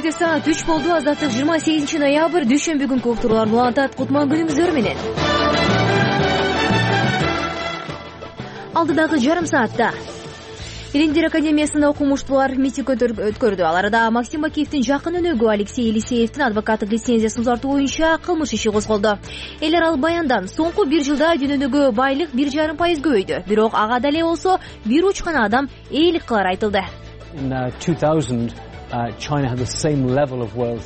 Кечки саат 3 болду. Азаттык 28 ноябрь дүйшөмбү күнкү уктуруулар улантат. Кутман күнүңүздөр менен. Алдыдагы жарым саатта Илимдер академиясында окумуштуулар митинг өткөрдү. Аларда Максим Бакиевдин жакын өнөгү Алексей Елисеевдин адвокаттык лицензиясын узартуу боюнча кылмыш иши козголду. Эл аралык баяндан соңку 1 жылда дүйнөнүгө байлык 1,5% көбөйдү. Бирок ага дале болсо бир уч гана адам ээлик кылары айтылды.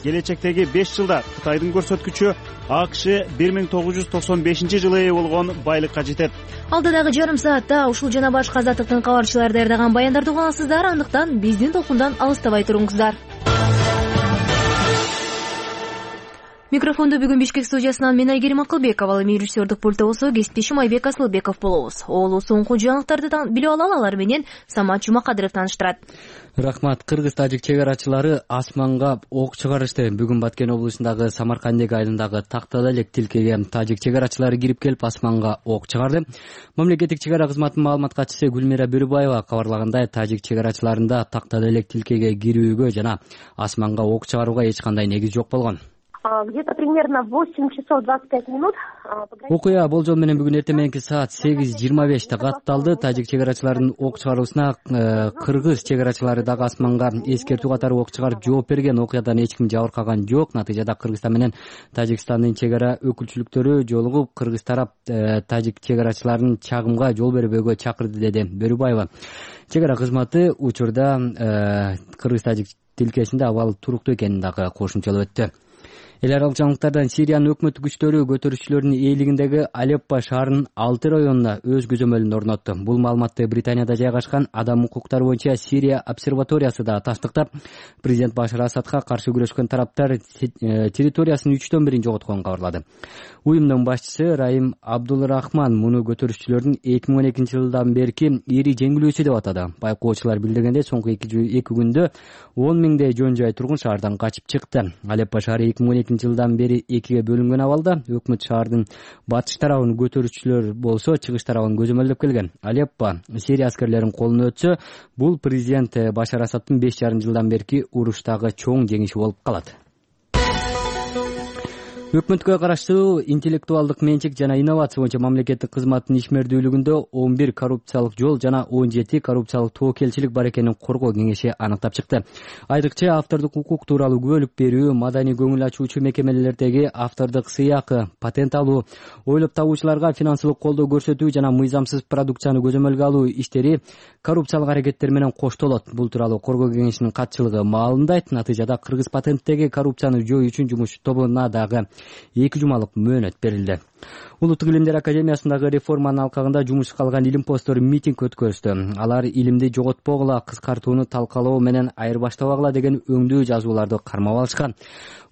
Келечектеги 5 жылда Кытайдын көрсөткүчү АКШ 1995 жылы ээ болгон байлыкка жетет. Алдыдагы жарым саатта ушул жана башка азаттыктын кабарчылары даярдаган баяндарды угасыздар. Андыктан биздин толкундан алыстабай туруңуздар. Микрофонду бүгүн Бишкек студиясынан мен Айгерим Акылбекова, ал эми режиссердик пультта болсо кесиптешим Айбек Асылбеков болобуз. Оолу соңку жаңылыктарды билип алалы, алар менен Самат Жумакадыров тааныштырат. Рахмат. Кыргыз-тажик чек арачылары асманга ок чыгарышты. Бүгүн Баткен облусундагы Самаркандек айылындагы Тактада элек тилкеге тажик чек арачылары кирип келип асманга ок чыгарды. Мамлекеттик чек ара кызматынын маалымат катчысы Гүлмира Бөрүбаева кабарлагандай, тажик чек арачыларында Тактада элек тилкеге кирүүгө жана асманга ок чыгарууга эч кандай негиз жок болгон. Где-то примерно в 8 часов 25 минут. Окуя болжол менен бүгүн эртең мененки саат 8:25 катталды. Тажик чек арачыларынын ок чыгаруусуна кыргыз чек арачылары дагы асманга эскертүү катары ок чыгарып жооп берген. Окуядан эч ким жабыркаган жок. Натыйжада Кыргызстан менен Тажикстандын чек ара өкүлчүлүктөрү жолугуп, кыргыз тарап тажик чек арачыларынын чагымга жол бербөөгө чакырды, деди Бөрүбаева. Чек ара кызматы учурда кыргыз-тажик тилкесинде абал туруктуу экенин дагы кошумчалап өттү. Эл аралык жаңылыктардан Сириянын өкмөттүк күчтөрү көтөрүүчүлөрдүн ээлигиндеги Алеппо шаарынын 6 районуна өз көзөмөлүн орнотту. Бул маалыматты Британияда жайгашкан Адам укуктары боюнча Сирия обсерваториясы да тастыктап, президент Башар Асадка каршы күрөшкөн тараптар территориясынын 1/3 жоготконун кабарлады. Уюмдун башчысы Раим Абдулрахман муну көтөрүүчүлөрдүн 2012 жылдан берки ири жеңилүүсү деп атады. Байкоочулар билдиргендей, соңку 2 күндө 10 миңдей жөн жай тургун шаардан качып чыкты. Алеппо шаары 2012 жылдан бери экиге бөлүнгөн абалда. Өкмөт шаардын батыш тарабын көтөрүүчүлөр болсо, чыгыш тарабын көзөмөлдөп келген. Алеппо Сирия аскерлеринин колуна өтсө, бул президент Башар Асадтын 5,5 жылдан берки уруштагы чоң жеңиши болуп калат. Өкмөткө караштуу интеллектуалдык менчик жана инновация боюнча мамлекеттик кызматтын ишмердүүлүгүндө 11 коррупциялык жол жана 17 коррупциялык тобокелчилик бар экенин коргоо кеңеши аныктап чыкты. Айрыкча автордук укук тууралуу күбөлүк берүү, маданий көңүл ачуучу мекемелердеги автордук сыйакы, патент алуу, ойлоп табуучуларга финансылык колдоо көрсөтүү жана мыйзамсыз продукцияны көзөмөлгө алуу иштери коррупциялык аракеттер менен коштолот. Бул тууралуу коргоо кеңешинин катчылыгы маалымдайт. Натыйжада Кыргыз патенттеги коррупцияны жоюу үчүн жумуш тобуна дагы 2 жумалык мөөнөт берилди. Улуттук илимдер академиясындагы реформанын алкагында жумушка алган илим посттор митинг өткөрүштү. Алар илимди жоготпогула, кыскартууну талкалоо менен айырбаштабагыла деген өңдүү жазууларды кармап алышкан.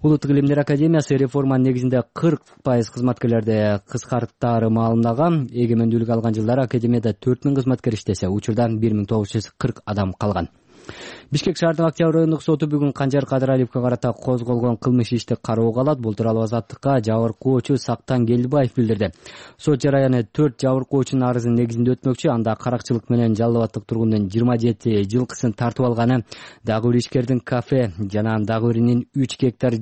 Улуттук илимдер академиясы реформанын негизинде 40% кызматкерлерди кыскарттаары маалымдаган. Эгемендүүлүк алган жылдары академияда 4000 кызматкер иштесе, учурдан 1940 адам калган. Бишкек шаардык Октябрь райондук соту бүгүн Канжар Кадыралиевге карата козголгон кылмыш ишти кароого алат. Бул тууралуу Азаттыкка жабыркоочу Сактан Келдибаев билдирди. Сот жараяны 4 жабыркоочунун арызынын негизинде өтмөкчү. Анда каракчылык менен жалал абадтык тургундун 27 жылкысын тартып алганы, дагы бир ишкердин кафе жана дагы биринин 3 гектар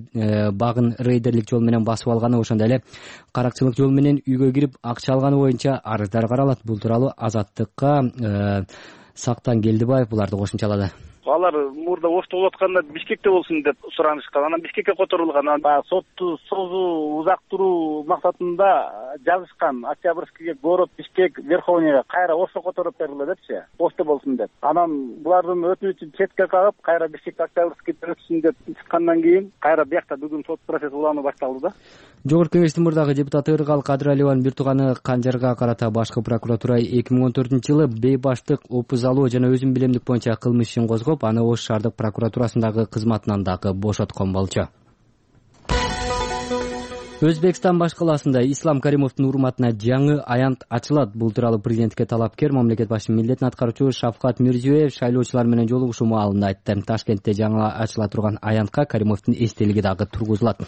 багын рейдерлик жол менен басып алганы, ошондой эле каракчылык жол менен үйгө кирип акча алганы боюнча арыздар каралат. Бул тууралуу Азаттыкка Сактан Келдибаев буларды кошумчалады. Алар мурда ошто болуп атканда Бишкекте болсун деп суранышкан. Анан Бишкекке которулган. Анан сотту созуу узактыруу максатында жазышкан. Октябрьскийге, город Бишкек, Верховныйга кайра ошто которуп бериле депчи. Ошто болсун деп. Анан булардын өтүнүчүн четке кагып, кайра Бишкек Октябрьский өтсүн деп чыккандан кийин кайра биякта бүгүн сот процесси улануу башталды да. Жогорку кеңештин мурдагы депутаты Ыргал Кадыралиеванын бир тууганы Канжарга карата башкы прокуратура 2014 жылы бейбаштык, опуз алуу жана өзүн билемдик боюнча кылмыш ишин козгоп, аны Ош шаардык прокуратурасындагы кызматынан дагы бошоткон болчу. Өзбекстан баш калаасында Ислам Каримовдун урматына жаңы аянт ачылат. Бул тууралуу президентке талапкер мамлекет башчынын милдетин аткаруучу Шавкат Мирзиёев шайлоочулар менен жолугушуу маалында айтты. Ташкентте жаңы ачыла турган аянтка Каримовдун эстелиги дагы тургузулат.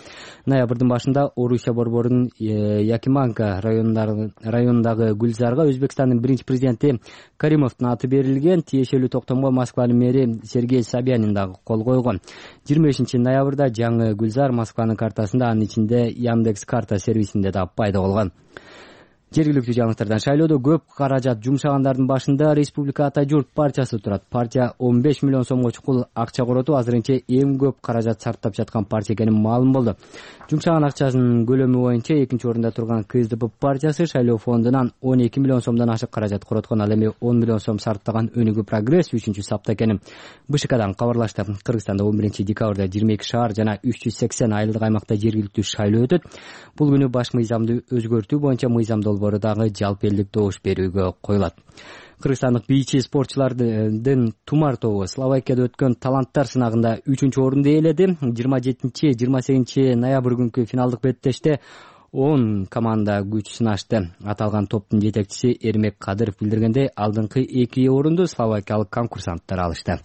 Ноябрдын башында Орусия борборунун Якиманка районундагы Гүлзарга Өзбекстандын биринчи президенти Каримовдун аты берилген. Тиешелүү токтомго Москванын мэри Сергей Собянин дагы кол койгон. 25-ноябрда жаңы Гүлзар Москванын картасында, анын ичинде Яндекс карта сервисинде да пайда болгон. Жергиликтүү жаңылыктардан шайлоодо көп каражат жумшагандардын башында Республика Ата журт партиясы турат. Партия 15 миллион сомго чукул акча коротуп, азырынча эң көп каражат сарптап жаткан партия экени маалым болду. Жумшаган акчасынын көлөмү боюнча экинчи орунда турган КСДП партиясы шайлоо фондунан 12 миллион сомдон ашык каражат короткон. Ал эми 10 миллион сом сарптаган Өнүгүү прогресс 3-чү сапта экенин БШКдан кабарлашты. Кыргызстанда 11-декабрда 22 шаар жана 380 айылдык аймакта жергиликтүү шайлоо өтөт. Бул күнү баш мыйзамды өзгөртүү боюнча мыйзам долбоору дагы жалпы элдик добуш берүүгө коюлат. Кыргызстандык бийчи спортчулардын Тумар тобу Словакияда өткөн таланттар сынагында 3-чү орунду ээледи. 27-28 ноябрь күнкү финалдык беттеште 10 команда күч сынашты. Аталган топтун жетекчиси Эрмек Кадыров билдиргендей, алдыңкы 2 орунду словакиялык конкурсанттар алышты.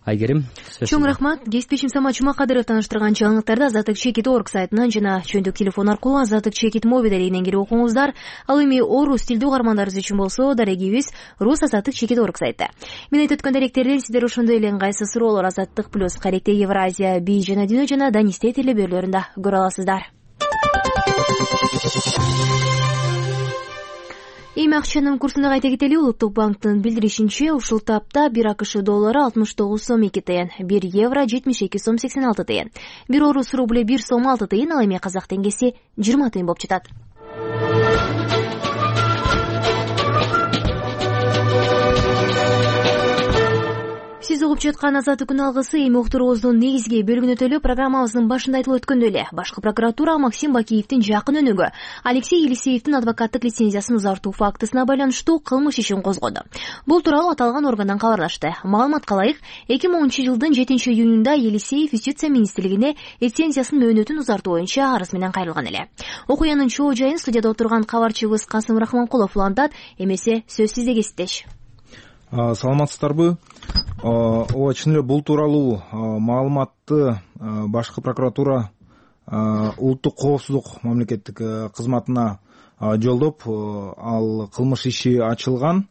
Айгерим, чоң рахмат. Кесиптешим Самат Жумакадыров таныштырган жаңылыктарды Азаттык Чекит орг сайтынан жана чөйдүк телефон аркылуу Азаттык Чекит мобилдеринен кирип окуңуздар. Ал эми орус тилдүү угармандарыбыз үчүн болсо, дарегибиз рус Азаттык Чекит орг сайты. Мен айтып өткөн даректерден сиздер ошондой эле ыңгайсыз суроолор Азаттык плюс Каректе Евразия, Би жана Дүйнө жана Данисте телебөрлөрүндө көрө аласыздар. Эми акчанын курсун кайта кетели. Улуттук банктын билдиришинче, ушул тапта 1 АКШ доллары 69 сом 2 тыйын, 1 евро 72 сом 86 тыйын, 1 орус рубль 1 сом 6 тыйын, ал эми казак теңгеси 20 тыйын болуп жатат. Сиз угуп жаткан Азаттык күн алгысы эми уктуруубуздун негизги бөлүгүнө өтөлүп, программабыздын башында айтылып өткөндөй эле башкы прокуратура Максим Бакиевдин жакын өнүгү Алексей Елисеевдин адвокаттык лицензиясын узартуу фактысына байланыштуу кылмыш ишин козгоду. Бул тууралуу аталган органдан кабарлашты. Маалыматка ылайык, 2010-жылдын 7-июнунда Елисеев Юстиция министрлигине лицензиясынын мөөнөтүн узартуу боюнча арыз менен кайрылган эле. Окуянын чоо жайын студияда отурган кабарчыбыз Касым Рахманкулов улантат. Эмесе сөз сизде, кесиптеш. Саламатсыздарбы? Ооба, чын эле бул тууралуу маалыматты башкы прокуратура улуттук коопсуздук мамлекеттик кызматына жолдоп, ал кылмыш иши ачылган.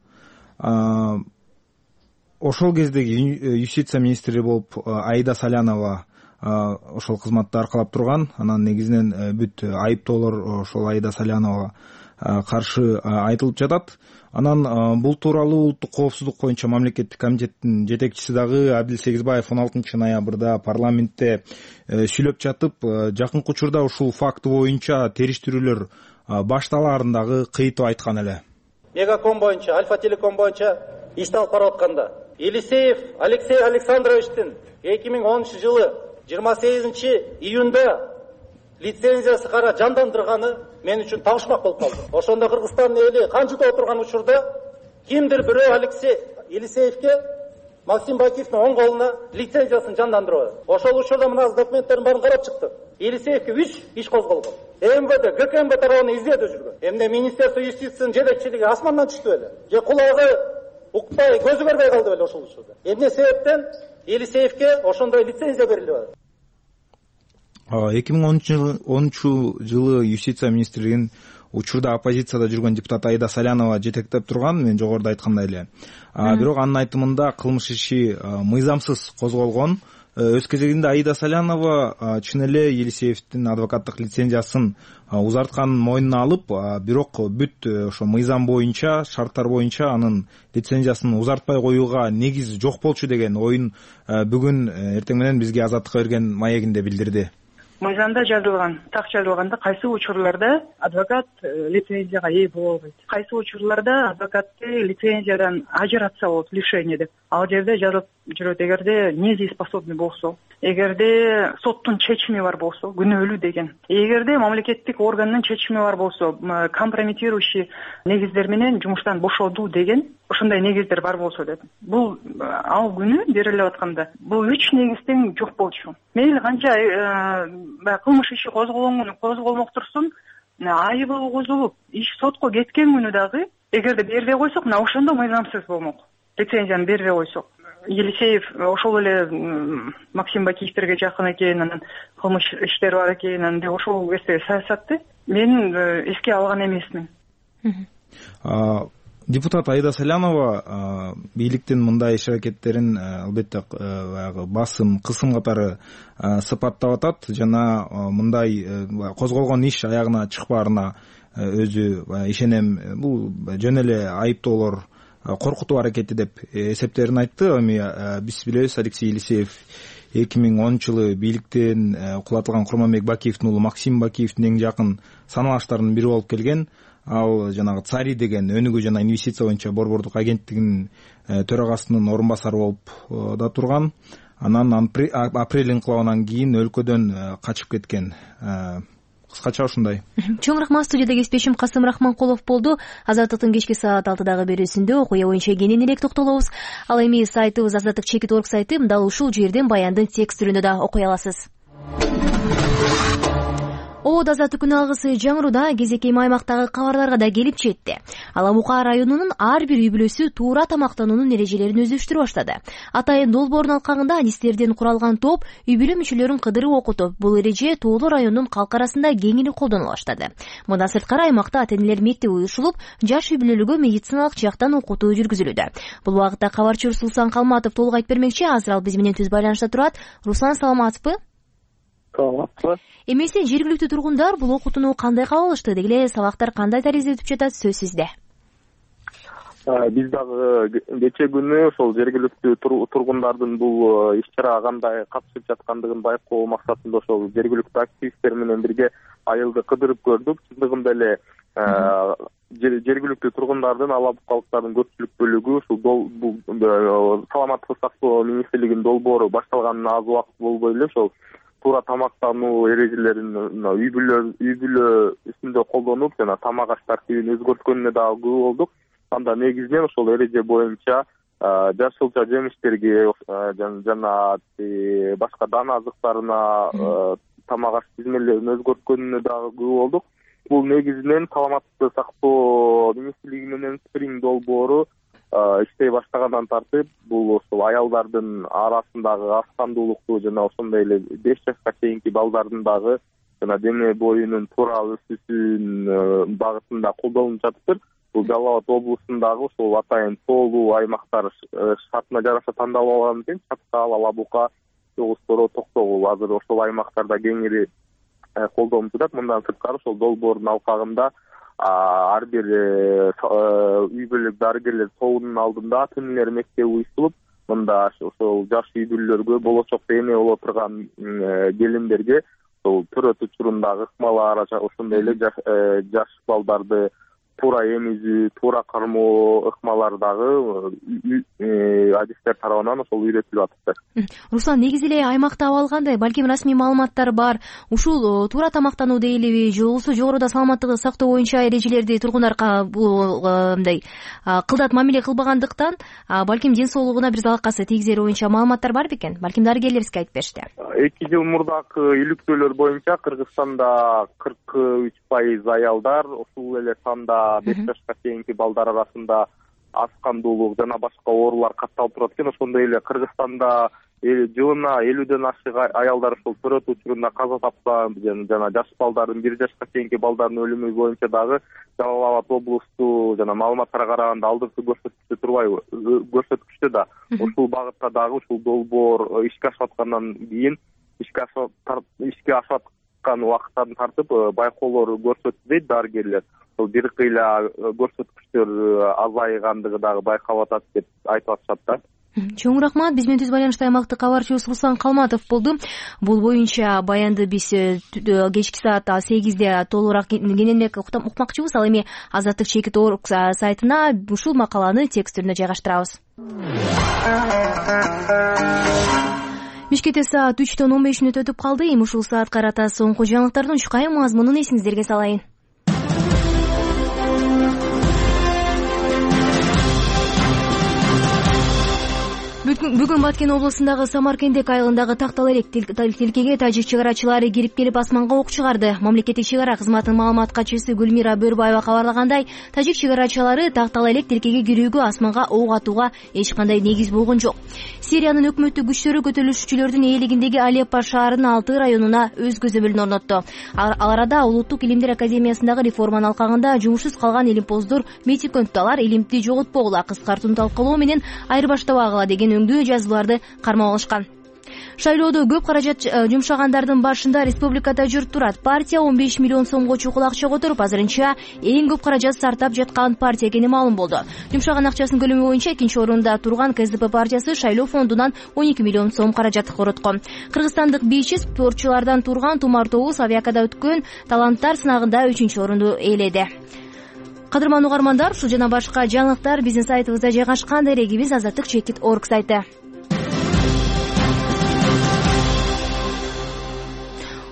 Ошол кездеги Юстиция министри болуп Аида Салянова ошол кызматты аркалап турган. Анан негизинен бүт айыптоолор ошол Аида Саляновага каршы айтылып жатат. Анан бул тууралуу улуттук коопсуздук боюнча мамлекеттик комитеттин жетекчиси дагы Абдил Сегизбаев 16-ноябрда парламентте сүйлөп жатып, жакынкы учурда ушул факты боюнча териштирүүлөр башталаарын дагы кыйтып айткан эле. Мегаком боюнча, Альфа Телеком боюнча ишти алып барып атканда Елисеев Алексей Александровичтин 2010-жылы 28-июнда лицензиясы кара жандандырганы мен үчүн табышмак болуп калды. Ошондо Кыргызстандын эли канчыда отурган учурда кимдир бирөө Алексей Елисеевке Максим Бакиевдин оң колуна лицензиясын жандандырып. Ошол учурда мына документтердин баарын карап чыкты. Елисеевке 3 иш козголгон. МВД, ГКМБ тарабынан издөөдө жүргөн. Эмне Министерство юстициянын жетекчилиги асмандан түштү беле? Же кулагы укпай, көзү көрбөй калды беле ошол учурда? Эмне себептен Елисеевке ошондой лицензия берилип атат? 2010-жылы Юстиция министрлигинин учурда оппозицияда жүргөн депутат Аида Салянова жетектеп турган, мен жогоруда айткандай эле. Бирок анын айтымында кылмыш иши мыйзамсыз козголгон. Өз кезегинде Аида Салянова чын эле Елисеевдин адвокаттык лицензиясын узартканын мойнуна алып, бирок бүт ошо мыйзам боюнча, шарттар боюнча анын лицензиясын узартпай коюуга негиз жок болчу деген оюн бүгүн эртең менен бизге Азаттыкка берген маегинде билдирди. Мыйзамда жазылган, так жазылганда кайсы учурларда адвокат лицензияга ээ боло албайт, кайсы учурларда адвокатты лицензиядан ажыратса болот, лишение деп. Ал жерде жазылып жүрөт, эгерде недееспособный болсо, эгерде соттун чечими бар болсо, күнөөлүү деген. Эгерде мамлекеттик органдын чечими бар болсо, компрометирующий негиздер менен жумуштан бошоодуу деген. ошондой негиздер бар болсо деп. Бул ал күнү берилип атканда бул 3 негиз тең жок болчу. Мейли канча кылмыш иши козголмок турсун, айыбы козулуп иш сотко кеткен күнү дагы эгерде бербей койсок, мына ошондо мыйзамсыз болмок. Лицензияны бербей койсок. Елисеев ошол эле Максим Бакиевтерге жакын экен, анан кылмыш иштери бар экен, анан ошол кезде саясатты мен эске алган эмесмин. Депутат Аида Салянова бийликтин мындай иш аракеттерин албетте басым, кысым катары сыпаттап атат жана мындай козголгон иш аягына чыкпаарына өзү ишенем. Бул жөн эле айыптоолор коркутуу аракети деп эсептерин айтты. Эми биз билебиз, Алексей Елисеев 2010-жылы бийликтен кулатылган Курманбек Бакиевдин уулу Максим Бакиевдин эң жакын саналаштарынын бири болуп келген. Ал жанагы ЦАРИ деген өнүгүү жана инвестиция боюнча борбордук агенттигинин төрагасынын орун басары болуп да турган. Анан апрель инкылабынан кийин өлкөдөн качып кеткен. Кыскача ушундай. Чоң рахмат. Студияда кесиптешим Касым Рахманкулов болду. Азаттыктын кечки саат 6дагы берүүсүндө окуя боюнча кененирээк токтолобуз. Ал эми сайтыбыз azattik.org сайты, дал ушул жерден баяндын текст түрүндө да окуй аласыз. Обод азаттык күнү алгысы жаңыруда кезекей аймактагы кабарларга да келип жетти. Ала Бука районунун ар бир үй бүлөсү туура тамактануунун эрежелерин өздөштүрүп баштады. Атайын долбоордун алкагында адистерден куралган топ үй бүлө мүчөлөрүн кыдырып окутуп, бул эреже Тоолор районунун калк арасында кеңири колдонула баштады. Мындан сырткары аймакта ата-энелер мектеби уюшулуп, жаш үй бүлөлөргө медициналык жактан окутуу жүргүзүлүүдө. Бул убакытта кабарчы Руслан Калматов толук айтып бермекчи. Азыр ал биз менен түз байланышта турат. Руслан, саламатсызбы? Эмесе жергиликтүү тургундар бул окутууну кандай кабыл алышты? Деги эле сабактар кандай таризде өтүп жатат? Сөз сизде. Биз дагы кечээ күнү ошол жергиликтүү тургундардын бул иш-чарага кандай катышып жаткандыгын байкоо максатында ошол жергиликтүү активисттер менен бирге айылды кыдырып көрдүк. Чындыгында эле жергиликтүү тургундардын, ала букалыктардын көпчүлүк бөлүгү ушул саламаттык сактоо министрлигинин долбоору башталганына аз убакыт болбой эле ошол туура тамактануу эрежелерин үй бүлө үстүндө колдонуп жана тамак аш тартибин өзгөрткөнүнө дагы күбө болдук. Анда негизинен ошол эреже боюнча жашылча жемиштерге жана башка дан азыктарына тамак аш тизмелерин өзгөрткөнүнө дагы күбө болдук. Бул негизинен саламаттыкты сактоо министрлиги менен спринг долбоору иштей баштагандан тартып, бул ошол аялдардын арасындагы аскандуулукту жана ошондой эле 5 жашка чейинки балдардын дагы жана дене боюнун туура өсүүсүн багытында колдонуп жатыптыр. Бул Жалал Абад облусундагы ошол атайын тоолуу аймактар шартына жараша тандалып алган экен. Чаткал, Ала Бука, Чогуз Торо, Токтогул азыр ошол аймактарда кеңири колдонуп жатат. Мындан сырткары ошол долбоордун алкагында ар бир үй бүлөлүк дарыгерлер тобунун алдында ата-энелер мектеби уюштурулуп, мында ошол жаш үй бүлөлөргө болочокто эне боло турган келиндерге ошол төрөт учурундагы ыкмалар, ошондой эле жаш балдарды туура эмизүү, туура кармоо ыкмалар дагы адистер тарабынан ошол үйрөтүлүп атыптыр. Руслан, негизи эле аймакта абал кандай? Балким расмий маалыматтар бар. Ушул туура тамактануу дейлиби, же болбосо жогоруда саламаттыгы сактоо боюнча эрежелерди тургундарга мындай кылдат мамиле кылбагандыктан балким ден соолугуна бир залакасы тийгизери боюнча маалыматтар бар бекен? Балким дарыгерлер бизге айтып беришти. 2 жыл мурдакы иликтөөлөр боюнча Кыргызстанда 43% аялдар, ушул эле санда 5 жашка чейинки балдар арасында аскандуулук жана башка оорулар катталып турат экен. Ошондой эле Кыргызстанда жылына 50ден ашык аялдар ошол төрөт учурунда каза тапса, жана жаш балдардын 1 жашка чейинки балдардын өлүмү боюнча дагы Жалал Абад облусту жана маалыматтарга караганда алдыңкы көрсөткүчтө турбайбы? Көрсөткүчтө да ушул багытта дагы ушул долбоор ишке ашып аткандан кийин ишке ашып аткан убакыттан тартып байкоолор көрсөттү дейт дарыгерлер. Бир кыйла көрсөткүчтөр азайгандыгы дагы байкалып атат деп айтып атышат да. Чоң рахмат. Биз менен түз байланышта аймактык кабарчыбыз Руслан Калматов болду. Бул боюнча баянды биз кечки саат 8де толугураак кененирээк укмакчыбыз. Ал эми azattik.org сайтына ушул макаланы текст түрүндө жайгаштырабыз. Бишкекте саат 3:15 өтүп калды. Эми ушул саат карата соңку жаңылыктардын чукай мазмунун эсиңиздерге салайын. Бүгүн Баткен облусундагы Самаркендек айылындагы Тактал элек тилкеге тажик чек арачылары кирип келип асманга ок чыгарды. Мамлекеттик чек ара кызматынын маалымат катчысы Гүлмира Бөрбаева кабарлагандай, тажик чек арачылары Тактал элек тилкеге кирүүгө асманга ок атууга эч кандай негиз болгон жок. Сириянын өкмөттүк күчтөрү көтөрүлүшчүлөрдүн ээлигиндеги Алеппо шаарынын 6 районуна өз көзөмөлүн орнотту. Ал арада Улуттук илимдер академиясындагы реформанын алкагында жумушсуз калган илимпоздор митинг өттү. Алар илимди жоготпогула, кыскартууну талкалоо менен айырбаштабагыла деген өңдүү жазууларды кармап алышкан. Шайлоодо көп каражат жумшагандардын башында республикада журт турат. Партия 15 миллион сомго чукул акча которуп, азырынча эң көп каражат сартап жаткан партия экени маалым болду. Жумшаган акчасынын көлөмү боюнча экинчи орунда турган КСДП партиясы шайлоо фондунан 12 миллион сом каражат короткон. Кыргызстандык бийчи спортчулардан турган Тумар Тобуз Авиакада өткөн таланттар сынагында 3-чү орунду ээледи. Кадырман угармандар, ушул жана башка жаңылыктар биздин сайтыбызда жайгашкан. Дарегибиз azatlyk.org сайты.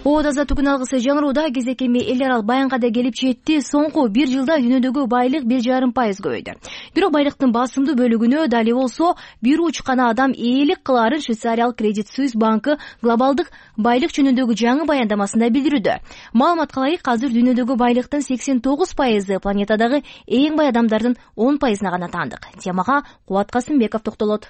Оода азаттыктын алгысы жаңырууда кезекеми эл аралык баянга да келип жетти. Соңку 1 жылда дүйнөдөгү байлык 1,5% көбөйдү. Бирок байлыктын басымдуу бөлүгүнө дали болсо бир учкана адам ээлик кылаарын Швейцариялык Credit Suisse банкы глобалдык байлык жөнүндөгү жаңы баяндамасында билдирүүдө. Маалыматка ылайык, азыр дүйнөдөгү байлыктын 89% планетадагы эң бай адамдардын 10%-на гана таандык. Темага Кубат Касымбеков токтолот.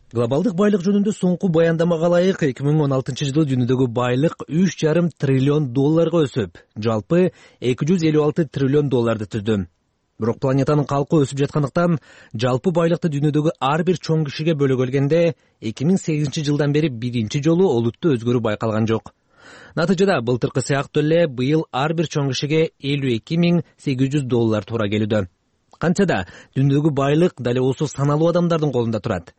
Глобалдык байлык жөнүндө соңку баяндамага ылайык 2016-жылы дүйнөдөгү байлык 3,5 триллион долларга өсүп, жалпы 256 триллион долларды түздү. Бирок планетанын калкы өсүп жаткандыктан жалпы байлыкты дүйнөдөгү ар бир чоң кишиге бөлө келгенде 2008-жылдан бери биринчи жолу олуттуу өзгөрүү байкалган жок. Натыйжада былтыркы сыяктуу эле быйыл ар бир чоң кишиге $52,800 туура келүүдө. Кантсе да дүйнөдөгү байлык дали болсо саналуу адамдардын колунда турат.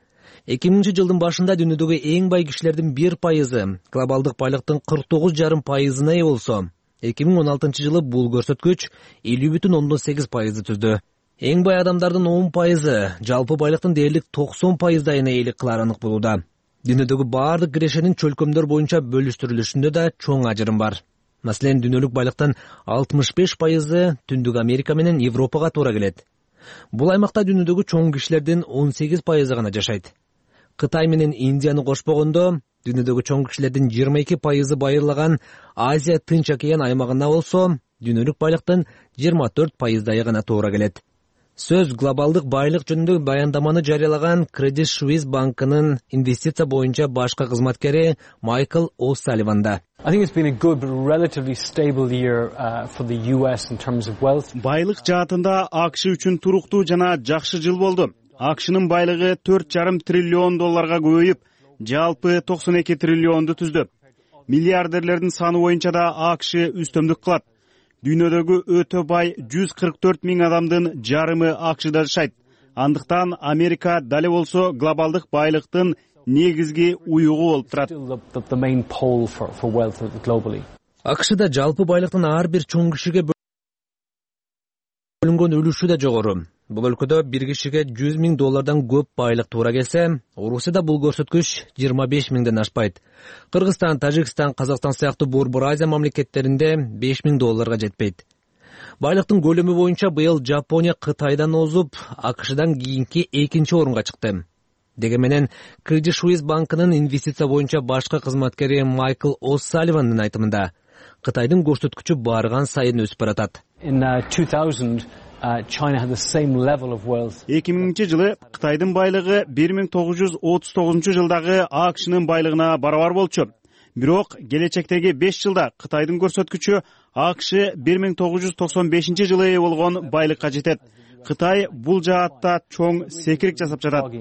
2000-жылдын башында дүйнөдөгү эң бай кишилердин 1%, глобалдык байлыктын 49,5%-на ээ болсо, 2016-жылы бул көрсөткүч 50,8% түздү. Эң бай адамдардын 10%, жалпы байлыктын дээрлик 90%-дайына ээлик кылары анык болууда. Дүйнөдөгү баардык кирешенин чөлкөмдөр боюнча бөлүштүрүлүшүндө да чоң ажырым бар. Маселен, дүйнөлүк байлыктын 65% Түндүк Америка менен Европага туура келет. Бул аймакта дүйнөдөгү чоң кишилердин 18% гана жашайт. Кытай менен Индияны кошпогондо, дүйнөдөгү чоң кишилердин 22% байырлаган Азия Тынч океан аймагына болсо, дүйнөлүк байлыктын 24%-дайы гана туура келет. Сөз глобалдык байлык жөнүндө баяндаманы жарыялаган Credit Suisse банкынын инвестиция боюнча башкы кызматкери Майкл О'Салливанда. Байлык жаатында АКШ үчүн туруктуу жана жакшы жыл болду. АКШнын байлыгы 4,5 триллион долларга көбөйүп, жалпы 92 триллионду түздү. Миллиардерлердин саны боюнча да АКШ үстөмдүк кылат. Дүйнөдөгү өтө бай 144 миң адамдын жарымы АКШда жашайт. Андыктан Америка дали болсо глобалдык байлыктын негизги уюгу болуп турат. АКШда жалпы байлыктын ар бир чоң кишиге бөлүнгөн үлүшү да жогору. Бул өлкөдө бир кишиге $100,000 көп байлык туура келсе, Орусияда бул көрсөткүч 25 миңден ашпайт. Кыргызстан, Тажикстан, Казакстан сыяктуу Борбор Азия мамлекеттеринде $5,000 жетпейт. Байлыктын көлөмү боюнча быйыл Жапония Кытайдан озуп, АКШдан кийинки экинчи орунга чыкты. Деге менен Credit Suisse банкынын инвестиция боюнча башкы кызматкери Майкл О'Салливандын айтымында, Кытайдын көрсөткүчү барган сайын өсүп баратат. 2000-жылы Кытайдын байлыгы 1939-жылдагы АКШнын байлыгына барабар болчу. Бирок келечектеги 5 жылда Кытайдын көрсөткүчү АКШ 1995-жылы ээ болгон байлыкка жетет. Кытай бул жаатта чоң секирик жасап жатат.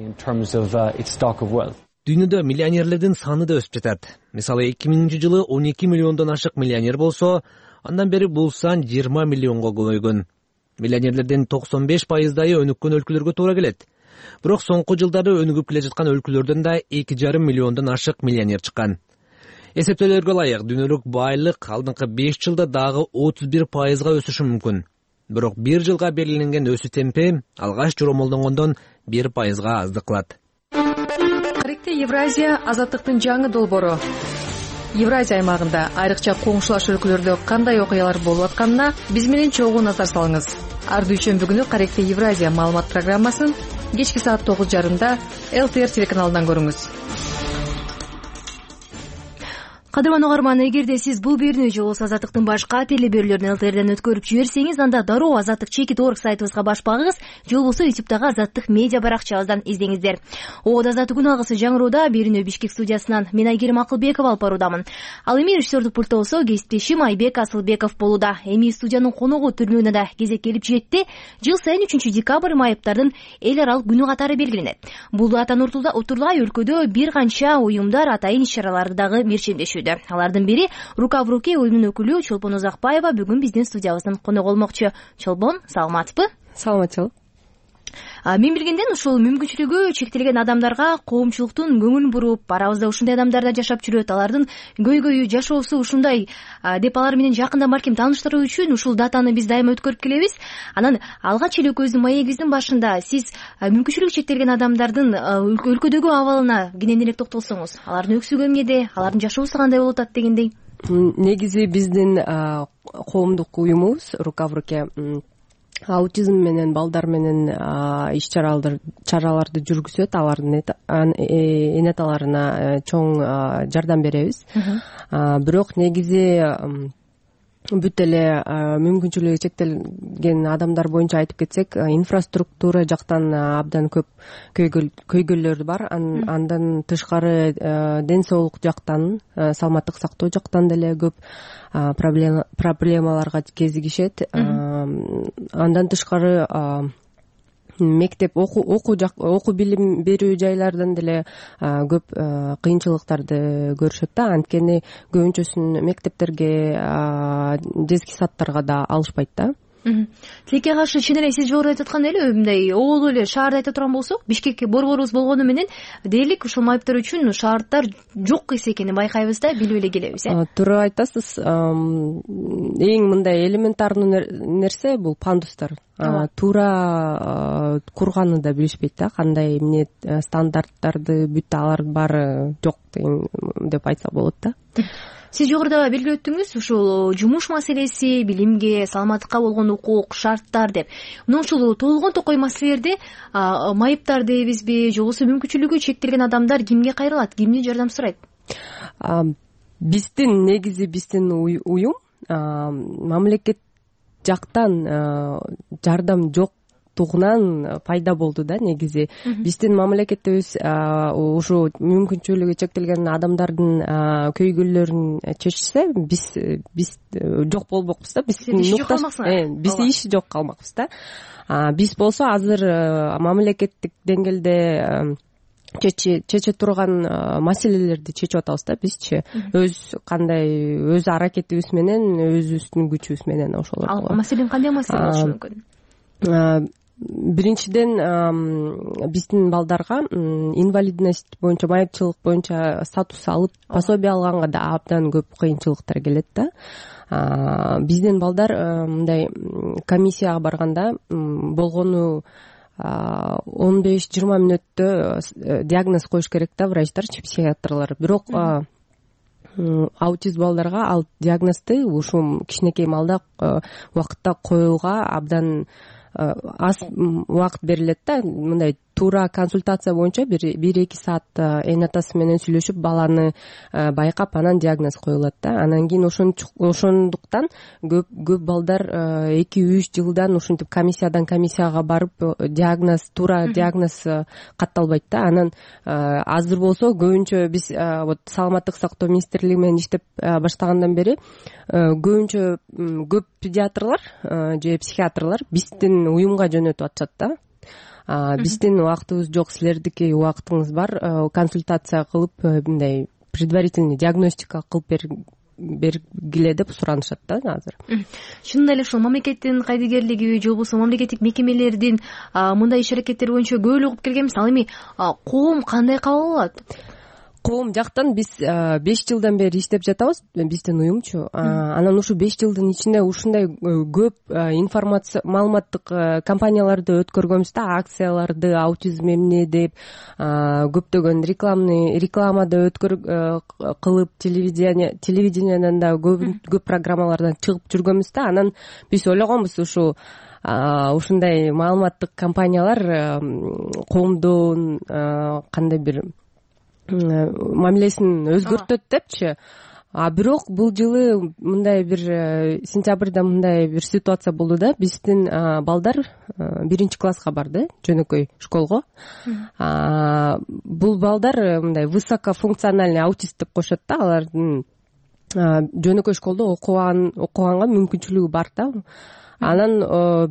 Дүйнөдө миллионерлердин саны да өсүп жатат. Мисалы 2000-жылы 12 миллиондон ашык миллионер болсо, андан бери бул сан 20 миллионго көбөйгөн. Миллионерлердин 95%-дайы өнүккөн өлкөлөргө туура келет. Бирок соңку жылдары өнүгүп келе жаткан өлкөлөрдөн да 2,5 миллиондон ашык миллионер чыккан. Эсептөөлөргө ылайык, дүйнөлүк байлык алдыңкы 5 жылда дагы 31%-га өсүшү мүмкүн. Бирок 1 жылга белгиленген өсүү темпи алгач жоромолдонгондон 1%-га аздык кылат. Каректе Евразия азаттыктын жаңы долбоору. Евразия аймагында айрыкча коңшулаш өлкөлөрдө кандай окуялар болуп атканына биз менен чогуу назар салыңыз. Ар дүйшөмбү күнү Каректе Евразия маалымат программасын кечки саат 9:30 ЛТР телеканалынан көрүңүз. Кадырман угарман, эгерде сиз бул берүүнү же болбосо Азаттыктын башка телеберүүлөрүн ЛТРден өткөрүп жиберсеңиз, анда дароо azattik.org сайтыбызга баш багыңыз же болбосо YouTube'дагы Азаттык медиа баракчабыздан издеңиздер. Азаттык күн алгысы жаңыроодо берүүнү Бишкек студиясынан мен Айгерим Акылбекова алып баруудамын. Ал эми режиссердик пультта болсо кесиптешим Айбек Асылбеков болууда. Эми студиянын коногу түрнүгүнө да кезек келип жетти. Жыл сайын 3 декабрь майыптардын эл аралык күнү катары белгиленет. Бул датаны утурлай өлкөдө бир канча уюмдар атайын иш-чараларды дагы мерчендешүүдө. Алардын бири Рука в руке уюмунун өкүлү Чолпон Узакбаева бүгүн биздин студиябыздын коногу болмокчу. Чолпон, саламатсызбы? Саламатчылык. Мен билгенден ушул мүмкүнчүлүгү чектелген адамдарга коомчулуктун көңүлүн буруп, арабызда ушундай адамдар да жашап жүрөт, алардын көйгөйү, жашоосу ушундай деп алар менен жакындан балким тааныштыруу үчүн ушул датаны биз дайыма өткөрүп келебиз. Анан алгач эле экөөбүздүн маегибиздин башында сиз мүмкүнчүлүгү чектелген адамдардын өлкөдөгү абалына кененирээк токтолсоңуз, алардын өксүгү эмнеде, алардын жашоосу кандай болуп атат дегендей. Негизи биздин коомдук уюмубуз Рука в руке аутизм менен балдар менен иш-чараларды жүргүзөт, алардын энеталарына чоң жардам беребиз. Бирок негизи бүт эле мүмкүнчүлүгү чектелген адамдар боюнча айтып кетсек, инфраструктура жактан абдан көп көйгөйлөр бар. Андан тышкары ден соолук жактан, саламаттык сактоо жактан деле көп проблемаларга кезигишет. Андан тышкары мектеп окуу билим берүү жайлардан деле көп кыйынчылыктарды көрүшөт да. Анткени көбүнчөсүн мектептерге, детский садтарга да алышпайт да. Тилекке каршы чын эле сиз жогоруда айтып аткандай эле мындай оолу эле шаарда айта турган болсок, Бишкекке борборубуз болгону менен дээрлик ушул майыптар үчүн шаарддар жок эс экенин байкайбыз да, билип эле келебиз. Туура айтасыз. Эң мындай элементарный нерсе бул пандустар. Туура курганы да билишпейт да, кандай эмне стандарттарды бүт алар баары жок деп айтса болот да. Сиз жогоруда белгилеп өттүңүз, ушул жумуш маселеси, билимге, саламаттыкка болгон укук, шарттар деп. Мына ушул толгон токой маселелерде майыптар дейбизби, же болбосо мүмкүнчүлүгү чектелген адамдар кимге кайрылат, кимдин жардам сурайт? Биздин уюм мамлекет жактан жардам жоктугунан пайда болду да. Негизи биздин мамлекетибиз ушу мүмкүнчүлүгү чектелген адамдардын көйгөйлөрүн чечсе, биз жок болбокпуз да. Биз иш жок калмакпыз да. Биз болсо азыр мамлекеттик деңгээлде чече турган маселелерди чечип атабыз да. Бизчи өз аракетибиз менен, өзүбүздүн күчүбүз менен ошолор. Ал маселен кандай маселе болушу мүмкүн? Биринчиден, биздин балдарга инвалидность боюнча, майыпчылык боюнча статус алып, пособие алганга да абдан көп кыйынчылыктар келет да. Биздин балдар мындай комиссияга барганда болгону 15-20 мүнөттө диагноз коюш керек да, врачтарчы, психиатрлар. Бирок аутист балдарга ал диагнозду ушул кичинекей маалда убакытта коюуга абдан аз убакыт берилет да. Мындай туура консультация боюнча 1-2 саат эне атасы менен сүйлөшүп, баланы байкап, анан диагноз коюлат да. Анан кийин ошондуктан көп балдар 2-3 жылдан ушинтип комиссиядан комиссияга барып туура диагноз катталбайт да. Анан азыр болсо көбүнчө биз саламаттык сактоо министрлиги менен иштеп баштагандан бери көбүнчө көп педиатрлар же психиатрлар биздин уюмга жөнөтүп атышат да. Биздин убактыбыз жок, силердики убактыңыз бар, консультация кылып, мындай предварительный диагностика кылып бергиле деп суранышат да азыр. Чынында эле ушул мамлекеттин кайдыгерлиги же болбосо мамлекеттик мекемелердин мындай иш-аракеттери боюнча көп эле угуп келгенбиз. Ал эми коом кандай кабыл алат? Коом жактан биз 5 жылдан бери иштеп жатабыз, биздин уюмчу. Анан ушу 5 жылдын ичинде ушундай көп информация, маалыматтык кампанияларды өткөргөнбүз да, акцияларды, аутизм эмне деп, көптөгөн рекламада кылып, телевиденияден да көп программалардан чыгып жүргөнбүз да. Анан биз ойлогонбуз, ушу ушундай маалыматтык компаниялар коомдун кандай бир мамилесин өзгөртөт депчи. Бирок бул жылы мындай бир сентябрда мындай бир ситуация болду да, биздин балдар 1-класска барды, жөнөкөй школго. Бул балдар мындай высокофункциональный аутист деп коюшат да, алардын жөнөкөй школдо окуганга мүмкүнчүлүгү бар да. Анан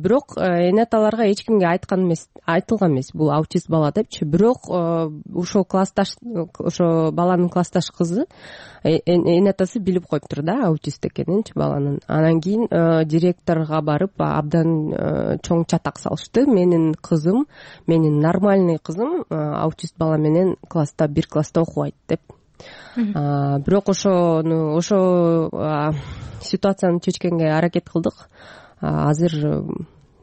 бирок эне аталарга эч кимге айтылган эмес бул аутист бала депчи. Бирок ошо ошо баланын классташ кызы эне атасы билип коюптур да аутист экенинчи баланын. Анан кийин директорго барып абдан чоң чатак салышты. Менин нормальный кызым аутист бала менен бир класста окубайт деп. Бирок ошо ситуацияны чечкенге аракет кылдык. Азыр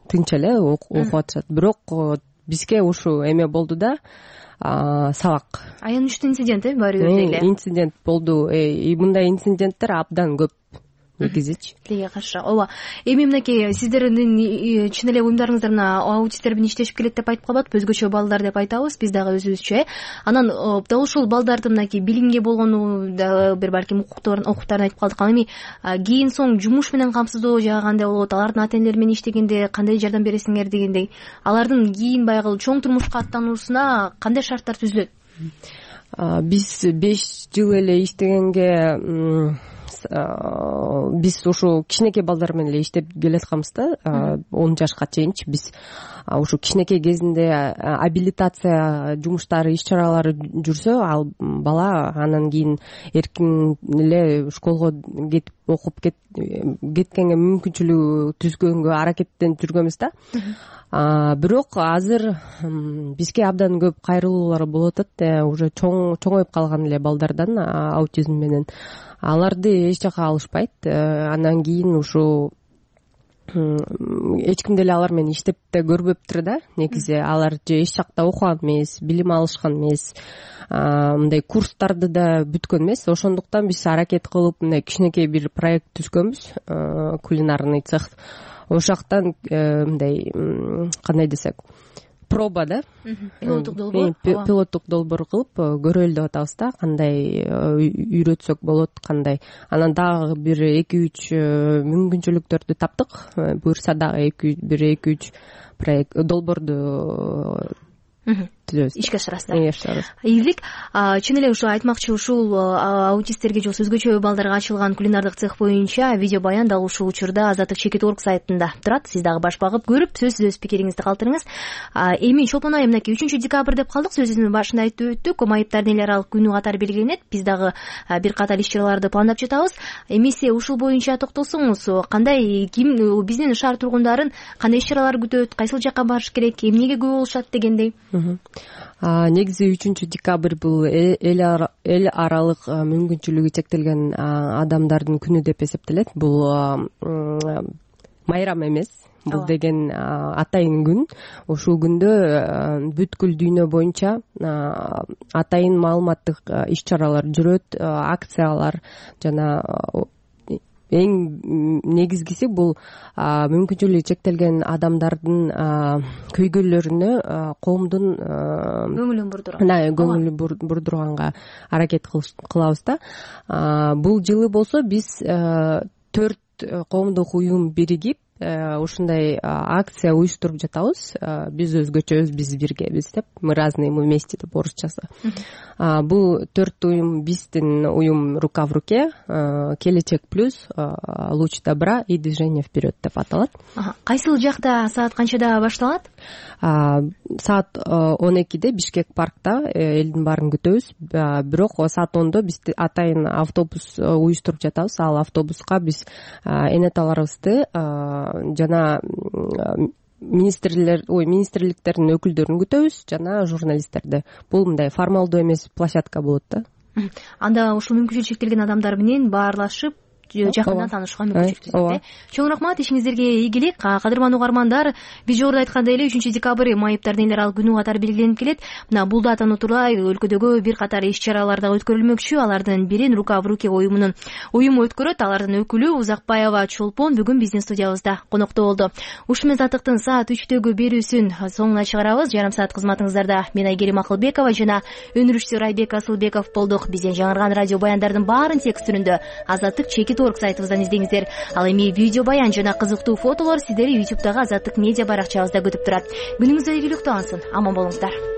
тынч эле окуп атышат. Бирок бизге ушул эме болду да, сабак. Аянычтуу инцидент баары бир эле. Инцидент болду. Мындай инциденттер абдан көп негизичи. Тилге каршы. Ооба. Эми мынакей сиздердин чын эле уюмдарыңыздар мына аутисттер менен иштешип келет деп айтып калбадык, өзгөчө балдар деп айтабыз биз дагы өзүбүзчө. Анан дал ушул балдардын мынакей билимге болгону дагы бир балким укуктарын айтып калдык. Анан эми кийин соң жумуш менен камсыздоо жагы кандай болот, алардын ата энелери менен иштегенде кандай жардам бересиңер дегендей, алардын кийин баягы чоң турмушка аттануусуна кандай шарттар түзүлөт? Биз 5 жыл эле иштегенге биз ушу кичинекей балдар менен эле иштеп келатканбыз да, 10 жашка чейинчи. Биз ушу кичинекей кезинде абилитация жумуштары, иш-чаралары жүрсө, ал бала анан кийин эркин эле школго кетип окуп кеткенге мүмкүнчүлүгү түзгөнгө аракеттенип жүргөнбүз да. Бирок азыр бизге абдан көп кайрылуулар болуп атат. Уже чоңоюп калган эле балдардан аутизм менен. Аларды эч жака алышпайт. Андан кийин ушу эч ким деле алар менен иштеп да көрбөптүр да. Негизи алар же эч жакта окуган эмес, билим алышкан эмес, мындай курстарды да бүткөн эмес. Ошондуктан биз аракет кылып мындай кичинекей бир проект түзгөнбүз, кулинарный цех. Ошол жактан мындай кандай десек, проба да, пилоттук долбоор кылып көрөлү деп атабыз да, кандай үйрөтсөк болот, кандай. Анан дагы бир 2-3 мүмкүнчүлүктөрдү таптык. Буюрса дагы 2-3 проект долбоорду түзөбүз, ишке ашырасыздар. Ийгилик. Чын эле ушу айтмакчы, ушул аутисттерге же өзгөчө балдарга ачылган кулинардык цех боюнча видео баян дал ушул учурда Азаттык.org сайтында турат. Сиз дагы баш багып көрүп, сөзсүз өз пикириңизди калтырыңыз. Эми чолпон айы мынакей 3-декабрь деп калдык, сөзүбүздүн башында айтып өттүк. Майыптардын эл аралык күнү катары белгиленет. Биз дагы бир катар иш-чараларды пландап жатабыз. Эмесе ушул боюнча токтолсоңуз, кандай биздин шаар тургундарын кандай иш-чаралар күтөт, кайсыл жакка барыш керек, эмнеге көп болушат дегендей? Негизи 3-декабрь бул эл аралык мүмкүнчүлүгү чектелген адамдардын күнү деп эсептелет. Бул майрам эмес. Бул деген атайын күн. Ушул күндө бүткүл дүйнө боюнча атайын маалыматтык иш-чаралар жүрөт, акциялар жана эң негизгиси бул мүмкүнчүлүгү чектелген адамдардын көйгөйлөрүнө коомдун көңүлүн бурдурганга аракет кылабыз да. Бул жылы болсо биз 4 коомдук уюм биригип ушундай акция уюштуруп жатабыз. Биз өзгөчө биз биргебиз деп, мы разные, мы вместе деп орусчасы. Бул 4 уюм, биздин уюм рука в руке, Келечек плюс, Луч добра и Движение вперед деп аталат. Кайсыл жакта, саат канчада башталат? Саат 12-де Бишкек паркта элдин баарын күтөбүз. Бирок саат 10-до биз атайын автобус уюштуруп жатабыз. Ал автобуска биз энеталарыбызды жана министрликтердин өкүлдөрүн күтөбүз, жана журналисттерди. Бул мындай формалдуу эмес площадка болот да. Анда ушул мүмкүнчүлүгү чектелген адамдар менен баарлашып жакындан таанышууга мүмкүнчүлүк түзөт. Чоң рахмат, ишиңиздерге ийгилик. Кадырман угармандар, биз жогоруда айткандай эле 3-декабрь майыптардын эл аралык күнү катары белгиленип келет. Мына бул датаны утурбай өлкөдөгү бир катар иш-чаралар дагы өткөрүлмөкчү. Алардын бирин Рука в руке уюму өткөрөт. Алардын өкүлү Узакбаева Чолпон бүгүн биздин студиябызда конокто болду. Ушу менен Азаттыктын саат 3-төгү берүүсүн соңуна чыгарабыз. Жарым саат кызматыңыздарда мен Айгерим Акылбекова жана өнүрүшчү Райбек Асылбеков болдук. Бизден жаңырган радио баяндардын баарын текст түрүндө Азаттык.org сайтыбыздан издеңиздер. Ал эми видео баян жана кызыктуу фотолор сиздерди YouTube'дагы Азаттык медиа баракчабызда күтүп турат. Күнүңүз ийгиликтүү алсын. Аман болуңуздар.